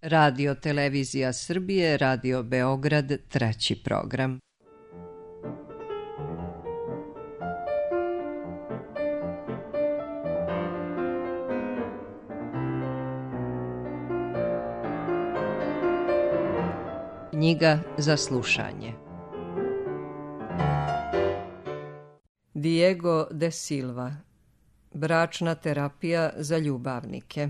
Radio Televizija Srbije, Radio Beograd, 3. program. Knjiga za slušanje. Diego de Silva. Bračna terapija za ljubavnike.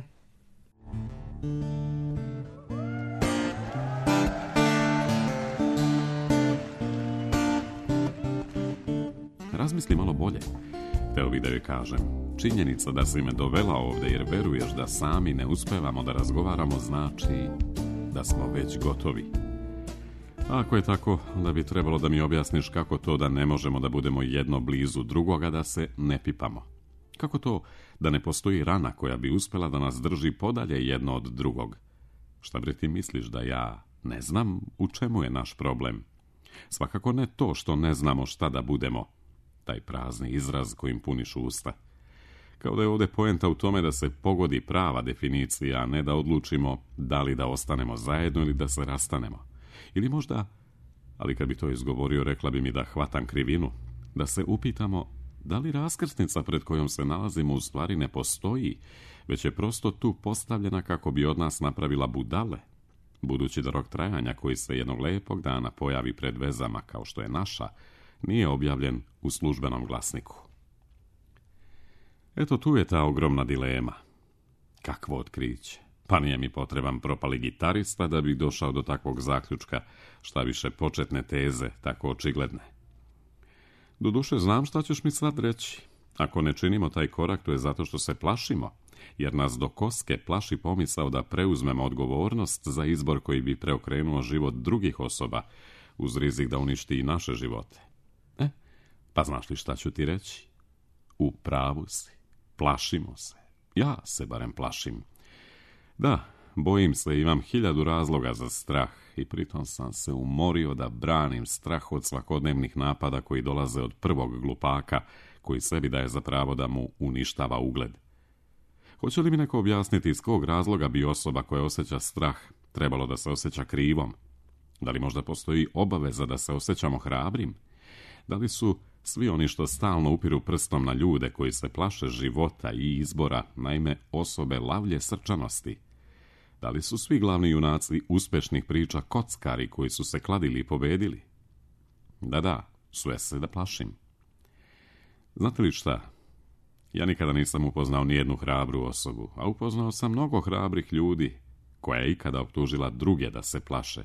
Razmisli malo bolje. Hteo bih da joj kažem. Činjenica da si me dovela ovde jer veruješ da sami ne uspevamo da razgovaramo znači da smo već gotovi. A ako je tako, onda bi trebalo da mi objasniš kako to da ne možemo da budemo jedno blizu drugoga, da se ne pipamo. Kako to da ne postoji rana koja bi uspela da nas drži podalje jedno od drugog? Šta bre ti misliš, da ja ne znam u čemu je naš problem? Svakako ne to što ne znamo šta da budemo. Taj prazni izraz kojim puniš usta. Kao da je ovde poenta u tome da se pogodi prava definicija, a ne da odlučimo da li da ostanemo zajedno ili da se rastanemo. Ili možda, ali kad bi to izgovorio, rekla bi mi da hvatam krivinu, da se upitamo da li raskrsnica pred kojom se nalazimo u stvari ne postoji, već je prosto tu postavljena kako bi od nas napravila budale, budući da rok trajanja koji se jednog lepog dana pojavi pred vezama kao što je naša, nije objavljen u službenom glasniku. Eto tu je ta ogromna dilema. Kakvo otkriće? Pa nije mi potreban propali gitarista da bi došao do takvog zaključka, šta više početne teze, tako očigledne. Doduše, znam šta ćeš mi sad reći. Ako ne činimo taj korak, to je zato što se plašimo, jer nas do koske plaši pomisao da preuzmemo odgovornost za izbor koji bi preokrenuo život drugih osoba, uz rizik da uništi i naše živote. Pa znaš li šta ću ti reći? U pravu si. Plašimo se. Ja se barem plašim. Da, bojim se, imam 1000 razloga za strah i pritom sam se umorio da branim strah od svakodnevnih napada koji dolaze od prvog glupaka koji sebi daje za pravo da mu uništava ugled. Hoće li mi neko objasniti iz kog razloga bi osoba koja osjeća strah trebalo da se osjeća krivom? Da li možda postoji obaveza da se osjećamo hrabrim? Da li su svi oni što stalno upiru prstom na ljude koji se plaše života i izbora, naime osobe lavlje srčanosti? Da li su svi glavni junaci uspešnih priča kockari koji su se kladili i pobedili? Da, sve se da plašim. Znate li šta? Ja nikada nisam upoznao nijednu hrabru osobu, a upoznao sam mnogo hrabrih ljudi koja je ikada optužila druge da se plaše.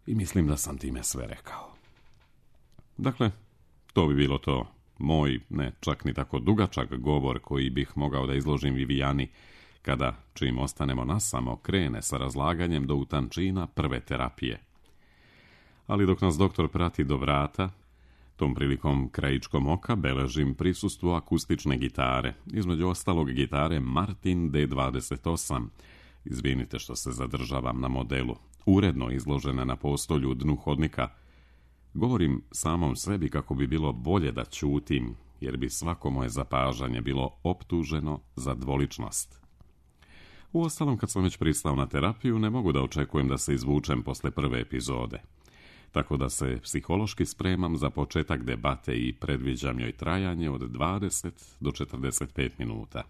I mislim da sam time sve rekao. Dakle, to bi bilo to. Moj, ne čak ni tako dugačak govor koji bih mogao da izložim Vivijani kada, čim ostanemo nasamo, krene sa razlaganjem do utančina prve terapije. Ali dok nas doktor prati do vrata, tom prilikom krajičkom oka beležim prisustvo akustične gitare, između ostalog gitare Martin D28. Izvinite što se zadržavam na modelu, uredno izložene na postolju u dnu hodnika. Govorim samom sebi kako bi bilo bolje da ćutim, jer bi svako moje zapažanje bilo optuženo za dvoličnost. Uostalom, kad sam već pristao na terapiju, ne mogu da očekujem da se izvučem posle prve epizode. Tako da se psihološki spremam za početak debate i predviđam joj trajanje od 20 do 45 minuta.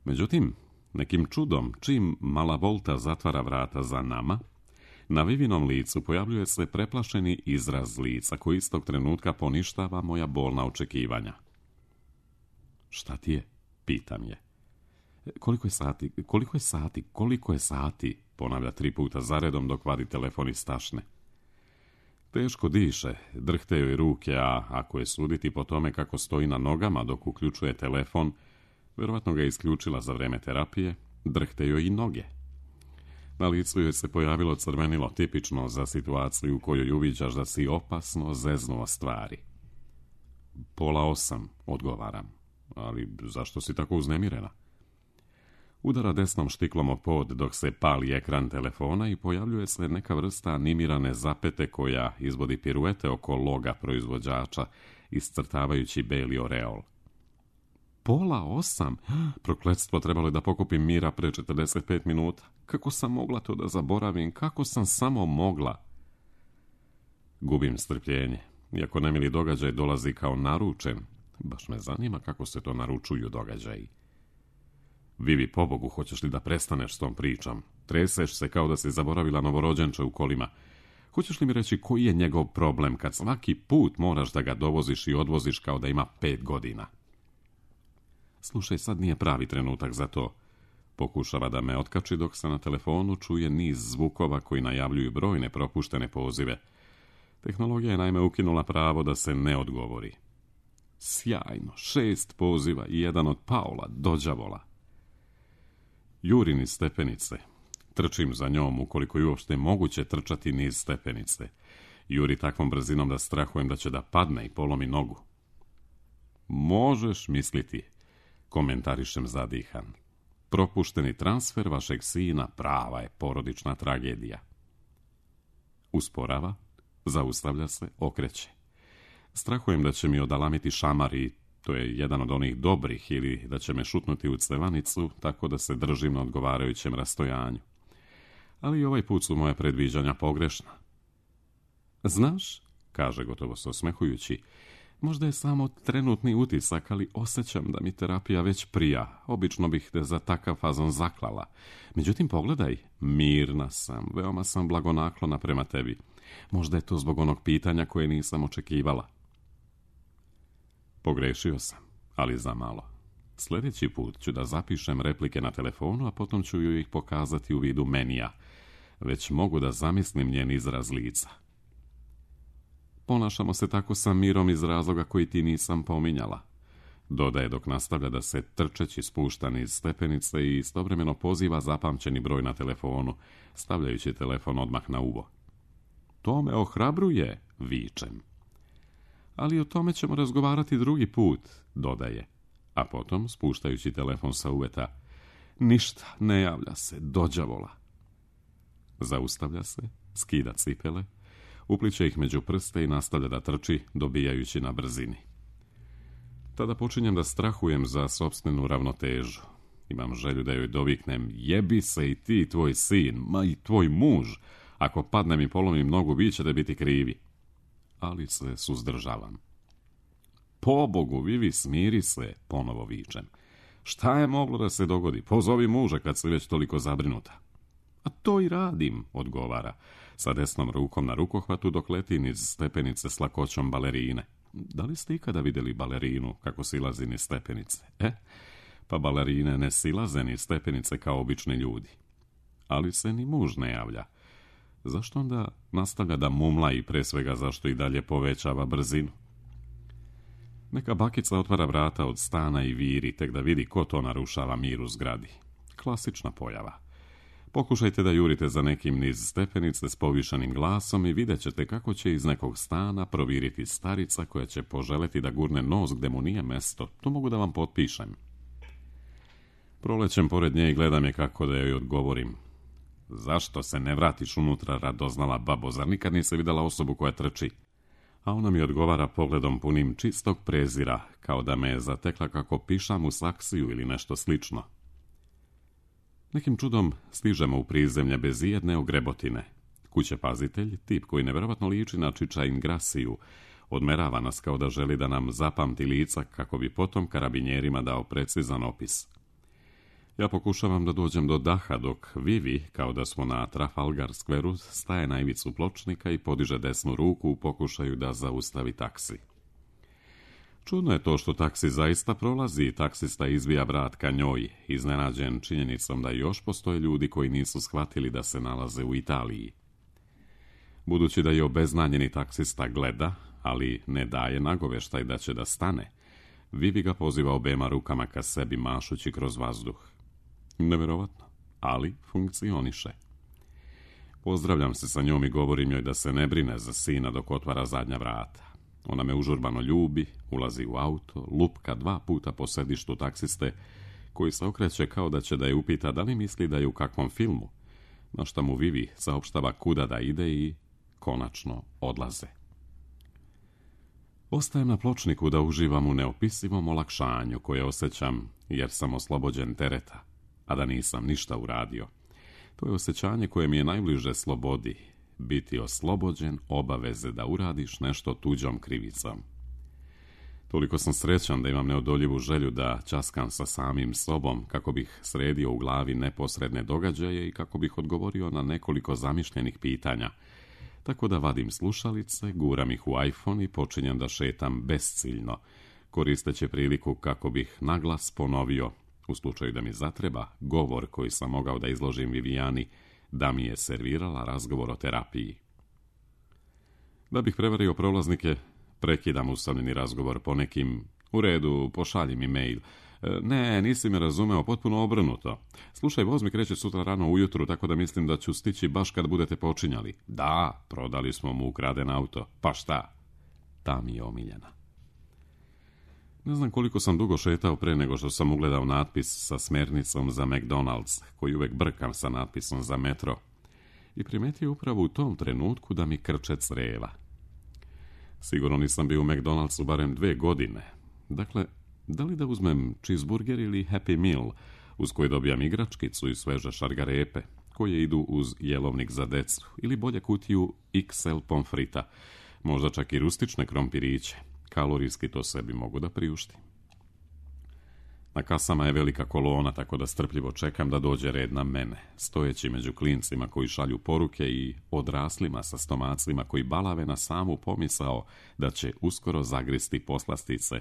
Međutim, nekim čudom, čim mala Volta zatvara vrata za nama, na Vivinom licu pojavljuje se preplašeni izraz lica koji istog trenutka poništava moja bolna očekivanja. Šta ti je? Pitam je. Koliko je sati? Ponavlja 3 puta zaredom dok vadi telefon iz tašne. Teško diše, drhte joj ruke, a ako je suditi po tome kako stoji na nogama dok uključuje telefon, verovatno ga je isključila za vreme terapije, drhte joj i noge. Na licu joj se pojavilo crvenilo tipično za situaciju u kojoj uviđaš da si opasno zeznuo stvari. 7:30, odgovaram. Ali zašto si tako uznemirena? Udara desnom štiklom o pod dok se pali ekran telefona i pojavljuje se neka vrsta animirane zapete koja izvodi piruete oko loga proizvođača, iscrtavajući beli oreol. 7:30. Prokletstvo, trebalo je da pokupim mira pre 45 minuta. Kako sam mogla to da zaboravim? Kako sam samo mogla? Gubim strpljenje. Iako nemili događaj dolazi kao naručen, baš me zanima kako se to naručuju događaji. Vivi, pobogu, hoćeš li da prestaneš s tom pričom? Treseš se kao da si zaboravila novorođenče u kolima. Hoćeš li mi reći koji je njegov problem kad svaki put moraš da ga dovoziš i odvoziš kao da ima 5 godina? Slušaj, sad nije pravi trenutak za to. Pokušava da me otkači dok se na telefonu čuje niz zvukova koji najavljuju brojne propuštene pozive. Tehnologija je naime ukinula pravo da se ne odgovori. Sjajno, 6 poziva i jedan od Paula, dođavola. Jurim niz stepenice. Trčim za njom ukoliko je uopšte moguće trčati niz stepenice. Juri takvom brzinom da strahujem da će da padne i polomi nogu. Možeš misliti, komentarišem zadihan. Propušteni transfer vašeg sina prava je porodična tragedija. Usporava, zaustavlja se, okreće. Strahujem da će mi odalamiti šamar i to je jedan od onih dobrih, ili da će me šutnuti u cevanicu, tako da se držim na odgovarajućem rastojanju. Ali i ovaj put su moje predviđanja pogrešna. Znaš, kaže gotovo se osmehujući, možda je samo trenutni utisak, ali osjećam da mi terapija već prija. Obično bih te za takav fazon zaklala. Međutim, pogledaj, mirna sam, veoma sam blagonaklona prema tebi. Možda je to zbog onog pitanja koje nisam očekivala. Pogrešio sam, ali za malo. Sljedeći put ću da zapišem replike na telefonu, a potom ću ju ih pokazati u vidu menija. Već mogu da zamislim njen izraz lica. Ponašamo se tako sa Mirom iz razloga koji ti nisam pominjala. Dodaje dok nastavlja da se trčeći spušta niz stepenice i istovremeno poziva zapamćeni broj na telefonu, stavljajući telefon odmah na uvo. To me ohrabruje, vičem. Ali o tome ćemo razgovarati drugi put, dodaje. A potom, spuštajući telefon sa uveta, ništa, ne javlja se, dođavola. Zaustavlja se, skida cipele, upliče ih među prste i nastavlja da trči, dobijajući na brzini. Tada počinjem da strahujem za sopstvenu ravnotežu. Imam želju da joj doviknem, jebi se i ti, tvoj sin, ma i tvoj muž. Ako padnem i polomim nogu, vi ćete biti krivi. Ali se suzdržavam. Pobogu, Vivi, smiri se, ponovo vičem. Šta je moglo da se dogodi? Pozovi muža kad si već toliko zabrinuta. A to i radim, odgovara, sa desnom rukom na rukohvatu dok leti niz stepenice s lakoćom balerine. Da li ste ikada vidjeli balerinu kako silazi niz stepenice? Pa balerine ne silaze niz stepenice kao obični ljudi. Ali se ni muž ne javlja. Zašto onda nastavlja da mumla i pre svega zašto i dalje povećava brzinu? Neka bakica otvara vrata od stana i viri, tek da vidi ko to narušava mir u zgradi. Klasična pojava. Pokušajte da jurite za nekim niz stepenice s povišanim glasom i vidjet ćete kako će iz nekog stana proviriti starica koja će poželeti da gurne nos gde mu nije mesto. To mogu da vam potpišem. Prolećem pored nje i gledam je kako da joj odgovorim. Zašto se ne vratiš unutra, radoznala babo, zar nikad nisi vidjela osobu koja trči? A ona mi odgovara pogledom punim čistog prezira, kao da me je zatekla kako pišam u saksiju ili nešto slično. Nekim čudom stižemo u prizemlje bez ijedne ogrebotine. Kućepazitelj, tip koji nevjerovatno liči na Čiča Ingrasiju, odmerava nas kao da želi da nam zapamti lica kako bi potom karabinjerima dao precizan opis. Ja pokušavam da dođem do daha dok Vivi, kao da smo na Trafalgar Squareu, staje na ivicu pločnika i podiže desnu ruku u pokušaju da zaustavi taksi. Čudno je to što taksi zaista prolazi i taksista izvija vrat ka njoj, iznenađen činjenicom da još postoje ljudi koji nisu shvatili da se nalaze u Italiji. Budući da je obeznanjeni taksista gleda, ali ne daje nagoveštaj da će da stane, Vivi ga poziva obema rukama ka sebi mašući kroz vazduh. Nevjerovatno, ali funkcioniše. Pozdravljam se sa njom i govorim joj da se ne brine za sina dok otvara zadnja vrata. Ona me užurbano ljubi, ulazi u auto, lupka 2 puta po sedištu taksiste, koji se okreće kao da će da je upita da li misli da je u kakvom filmu, na šta mu Vivi saopštava kuda da ide i konačno odlaze. Ostajem na pločniku da uživam u neopisivom olakšanju koje osjećam jer sam oslobođen tereta, a da nisam ništa uradio. To je osjećanje koje mi je najbliže slobodi, biti oslobođen obaveze da uradiš nešto tuđom krivicom. Toliko sam srećan da imam neodoljivu želju da ćaskam sa samim sobom kako bih sredio u glavi neposredne događaje i kako bih odgovorio na nekoliko zamišljenih pitanja, tako da vadim slušalice, guram ih u iPhone i počinjem da šetam besciljno, koristeći priliku kako bih naglas ponovio, u slučaju da mi zatreba, govor koji sam mogao da izložim Vivijani, da mi je servirala razgovor o terapiji. Da bih prevario prolaznike, prekidam usamljeni razgovor po nekim, u redu, pošalji mi mail. Ne, nisi me razumeo, potpuno obrnuto. Slušaj, voz mi kreće sutra rano ujutru, tako da mislim da ću stići baš kad budete počinjali. Da, prodali smo mu ukraden auto. Pa šta? Ta mi je omiljena. Ne znam koliko sam dugo šetao pre nego što sam ugledao natpis sa smernicom za McDonald's, koji uvek brkam sa natpisom za metro. I primetio upravo u tom trenutku da mi krče creva. Sigurno nisam bio u McDonald'su barem 2 godine. Dakle, da li da uzmem cheeseburger ili Happy Meal, uz koji dobijam igračkicu i sveže šargarepe, koje idu uz jelovnik za decu, ili bolje kutiju XL pomfrita, možda čak i rustične krompiriće. Kalorijski to sebi mogu da priuštim. Na kasama je velika kolona, tako da strpljivo čekam da dođe red na mene, stojeći među klincima koji šalju poruke i odraslima sa stomacima koji balave na samu pomisao da će uskoro zagristi poslastice.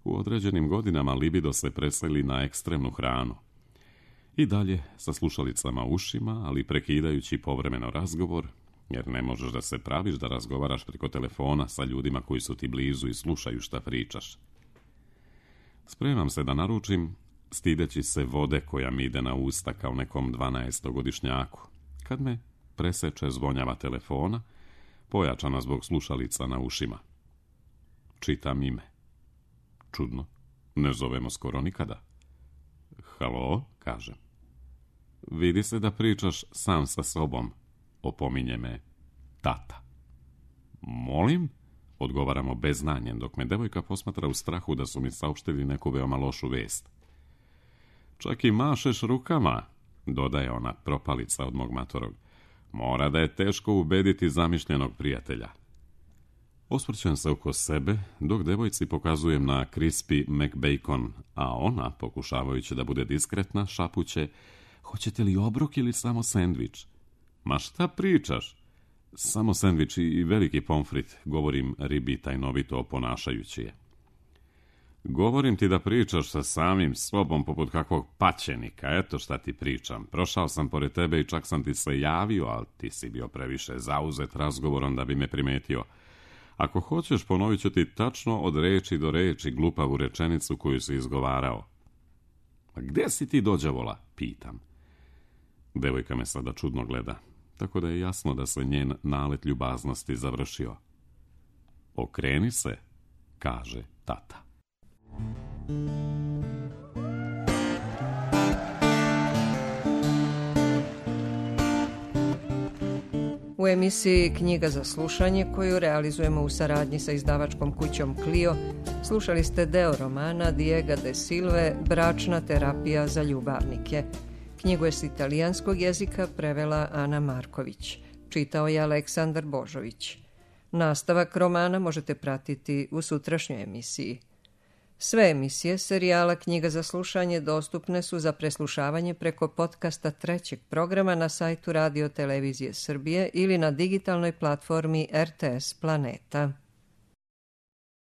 U određenim godinama libido se preseli na ekstremnu hranu. I dalje sa slušalicama u ušima, ali prekidajući povremeno razgovor, jer ne možeš da se praviš da razgovaraš preko telefona sa ljudima koji su ti blizu i slušaju šta pričaš. Spremam se da naručim, stideći se vode koja mi ide na usta kao nekom 12-godišnjaku, kad me preseče zvonjava telefona, pojačana zbog slušalica na ušima. Čitam ime. Čudno, ne zovemo skoro nikada. Halo, kažem. Vidi se da pričaš sam sa sobom, opominje me tata. Molim? Odgovaramo beznanjem, dok me devojka posmatra u strahu da su mi saopštili neku veoma lošu vest. Čak i mašeš rukama, dodaje ona propalica od mog matorog. Mora da je teško ubediti zamišljenog prijatelja. Osvrćem se oko sebe, dok devojci pokazujem na crispy McBacon, a ona, pokušavajući da bude diskretna, šapuće: hoćete li obrok ili samo sendvič? Ma šta pričaš? Samo sendvič i veliki pomfrit, govorim ribi tajnovito oponašajući je. Govorim ti da pričaš sa samim sobom poput kakvog paćenika, eto šta ti pričam. Prošao sam pored tebe i čak sam ti se javio, ali ti si bio previše zauzet razgovorom da bi me primetio. Ako hoćeš, ponovit ću ti tačno od reči do reči glupavu rečenicu koju si izgovarao. A gde si ti dođavola? Pitam. Devojka me sada čudno gleda, tako da je jasno da se njen nalet ljubaznosti završio. Okreni se, kaže tata. U emisiji Knjiga za slušanje, koju realizujemo u saradnji sa izdavačkom kućom Clio, slušali ste deo romana Diega de Silve Bračna terapija za ljubavnike. Knjigu je s italijanskog jezika prevela Ana Marković. Čitao je Aleksandar Božović. Nastavak romana možete pratiti u sutrašnjoj emisiji. Sve emisije serijala Knjiga za slušanje dostupne su za preslušavanje preko podcasta 3. programa na sajtu Radio Televizije Srbije ili na digitalnoj platformi RTS Planeta.